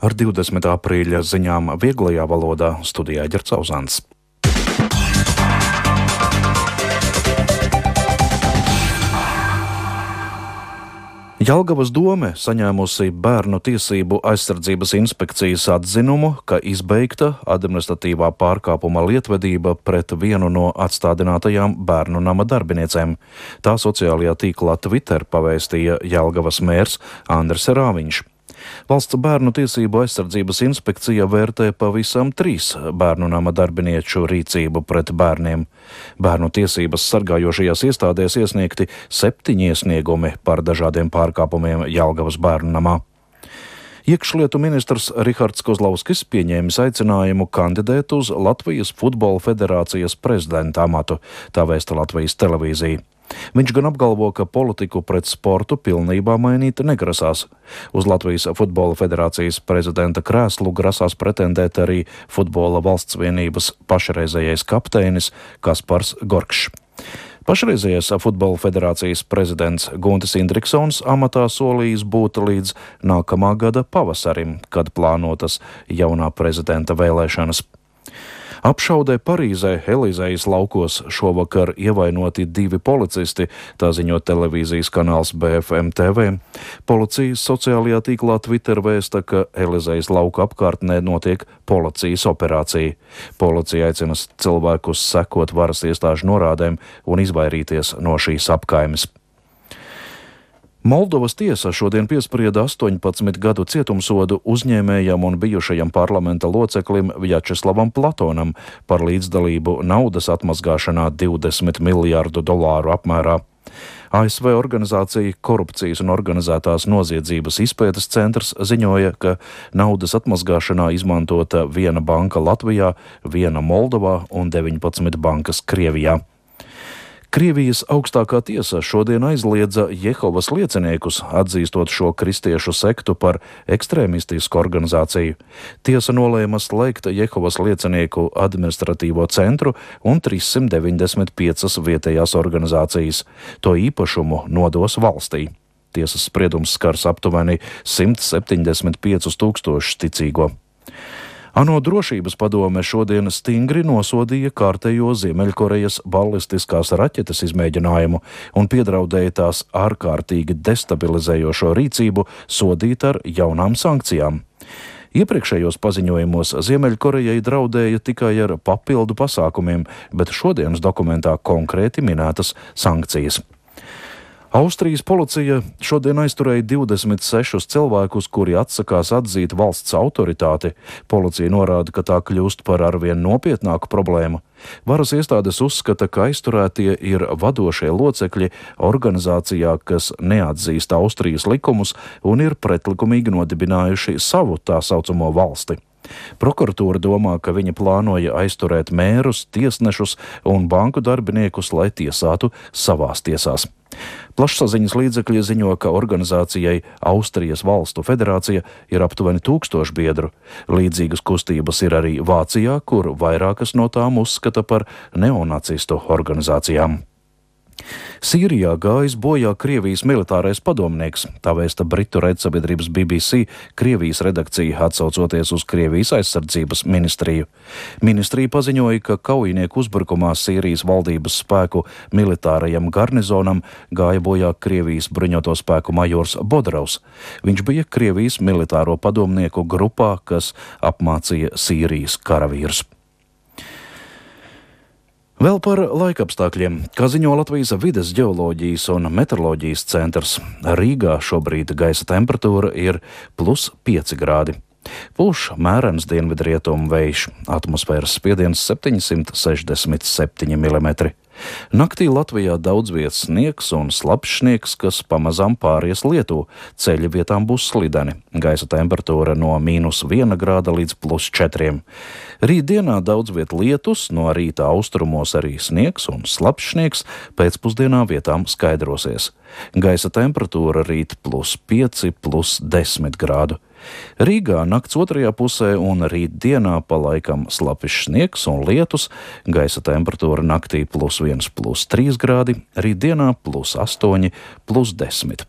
Ar 20. aprīļa ziņām vieglajā valodā studijā Ģerts Auzāns. Jelgavas dome saņēmusi Bērnu tiesību aizsardzības inspekcijas atzinumu, ka izbeigta administratīvā pārkāpuma lietvedība pret vienu no atstādinātajām bērnu nama darbiniecēm. Tā sociālajā tīklā Twitter pavēstīja Jelgavas mērs Andris Rāviņš. Valsts bērnu tiesību aizsardzības inspekcija vērtē pavisam 3 bērnu nama darbinieču rīcību pret bērniem. Bērnu tiesības sargājošajās iestādēs iesniegti 7 iesniegumi par dažādiem pārkāpumiem Jelgavas bērnu namā. Iekšlietu ministrs Rihards Kozlovskis pieņēmis aicinājumu kandidēt uz Latvijas Futbola federācijas prezidenta amatu, tā vēsta Latvijas televīzija. Viņš gan apgalvo, ka politiku pret sportu pilnībā mainīt negrasās. Uz Latvijas Futbola federācijas prezidenta krēslu grasās pretendēt arī Futbola valsts vienības pašreizējais kapteinis Kaspars Gorkšs. Pašreizējais Futbola federācijas prezidents Guntis Indriksons amatā solījis būt līdz nākamā gada pavasarim, kad plānotas jaunā prezidenta vēlēšanas. Apšaudē Parīzē Elīzejas laukos šovakar ievainoti 2 policisti, tā ziņo televīzijas kanāls BFM TV. Policijas sociālajā tīklā Twitter vēsta, ka Elīzejas lauka apkārtnē notiek policijas operācija. Policija aicina cilvēkus sekot varas iestāžu norādēm un izvairīties no šīs apkaimes. Moldovas tiesa šodien piesprieda 18 gadu cietumsodu uzņēmējam un bijušajam parlamenta loceklim Vjačeslavam Platonam par līdzdalību naudas atmazgāšanā $20 miljārdu apmērā. ASV organizācija Korupcijas un organizētās noziedzības izpētes centrs ziņoja, ka naudas atmazgāšanā izmantota 1 banka Latvijā, 1 Moldovā un 19 bankas Krievijā. Krievijas augstākā tiesa šodien aizliedza Jehovas lieciniekus, atzīstot šo kristiešu sektu par ekstrēmistisku organizāciju. Tiesa nolēma slēgt Jehovas liecinieku administratīvo centru un 395 vietējās organizācijas. To īpašumu nodos valstī. Tiesas spriedums skars aptuveni 175 000 ticīgo. ANO drošības padome šodien stingri nosodīja kārtējo Ziemeļkorejas balistiskās raķetes izmēģinājumu un piedraudēja tās ārkārtīgi destabilizējošo rīcību sodīt ar jaunām sankcijām. Iepriekšējos paziņojumos Ziemeļkorejai draudēja tikai ar papildu pasākumiem, bet šodienas dokumentā konkrēti minētas sankcijas. Austrijas policija šodien aizturēja 26 cilvēkus, kuri atsakās atzīt valsts autoritāti. Policija norāda, ka tā kļūst par arvien nopietnāku problēmu. Varas iestādes uzskata, ka aizturētie ir vadošie locekļi organizācijā, kas neatzīst Austrijas likumus un ir pretlikumīgi nodibinājuši savu tā saucamo valsti. Prokuratūra domā, ka viņi plānoja aizturēt mērus, tiesnešus un banku darbiniekus, lai tiesātu savās tiesās. Plašsaziņas līdzekļi ziņo, ka organizācijai Austrijas valstu federācija ir aptuveni 1000 biedru. Līdzīgas kustības ir arī Vācijā, kur vairākas no tām uzskata par neonacistu organizācijām. Sīrijā gājis bojā Krievijas militārais padomnieks, tā vēsta britu raidsabiedrības BBC Krievijas redakcija, atsaucoties uz Krievijas aizsardzības ministriju. Ministrija paziņoja, ka kaujinieku uzbrukumā Sīrijas valdības spēku militārajam garnizonam gāja bojā Krievijas bruņoto spēku majors Bodrovs. Viņš bija Krievijas militāro padomnieku grupā, kas apmācīja Sīrijas karavīrus. Vēl par laikapstākļiem. Kā ziņo Latvijas vides ģeoloģijas un meteoroloģijas centrs, Rīgā šobrīd gaisa temperatūra ir +5 grādi. Pūš mērens dienvidrietumu vējš, atmosfēras spiediens 767 mm. Naktī Latvijā daudz vietas sniegs un slapjš sniegs, kas pamazām pāries lietu. Ceļi vietām būs slideni. Gaisa temperatūra no -1 grāda līdz +4. Rītdienā daudz viet lietus, no rīta austrumos arī sniegs un slapjš sniegs, pēcpusdienā vietām skaidrosies. Gaisa temperatūra rīt +5, +10 grādu. Rīgā nakts otrajā pusē un rītdienā pa laikam slapjš sniegs un lietus, gaisa temperatūra naktī +1, +3 grādi, rītdienā +8, +10.